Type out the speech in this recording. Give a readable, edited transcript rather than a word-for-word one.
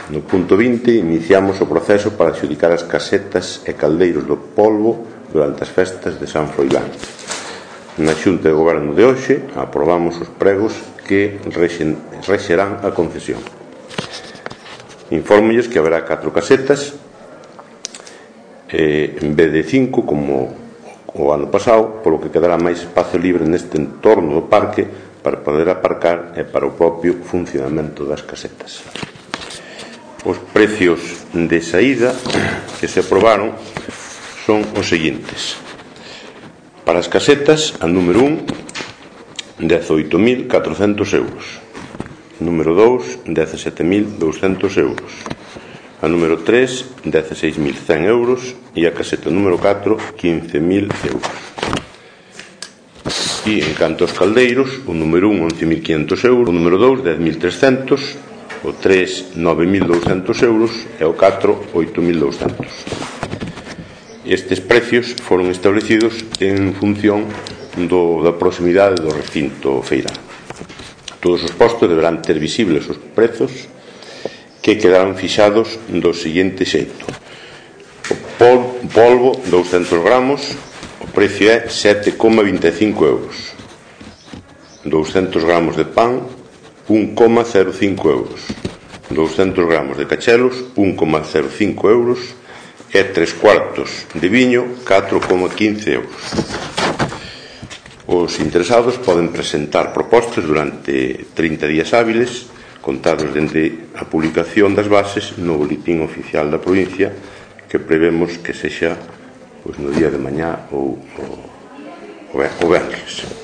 No punto 20 iniciamos o proceso para adxudicar as casetas e caldeiros do polvo durante as festas de San Froilán. Na Xunta de Goberno de hoxe aprobamos os pregos que rexerán a concesión. Infórmolles que haberá 4 casetas en vez de 5 como o ano pasado, polo que quedará máis espacio libre neste entorno do parque para poder aparcar e para o propio funcionamento das casetas. Os precios de saída que se aprobaron son os seguintes. Para as casetas, a número 1, 18.400 euros. Número 2, 17.200 euros. A número 3, 16.100 euros. E a caseta número 4, 15.000 euros. E, en canto aos caldeiros, o número 1, 11.500 euros. O número 2, 10.300. O 3, 9.200 euros. E o 4, 8.200. Estes precios foron establecidos en función da proximidade do recinto feirán. Todos os postos deberán ter visibles os prezos que quedarán fixados do seguinte xeito. O polvo, 200 gramos, o precio é 7,25 euros. 200 gramos de pan, 1,05 euros. 200 gramos de cachelos, 1,05 euros. E 3 cuartos de viño, 4,15 euros. Os interesados poden presentar propostas durante 30 días hábiles, contados dende a publicación das bases no boletín oficial da provincia, que prevemos que sexa no día de mañá ou o venres.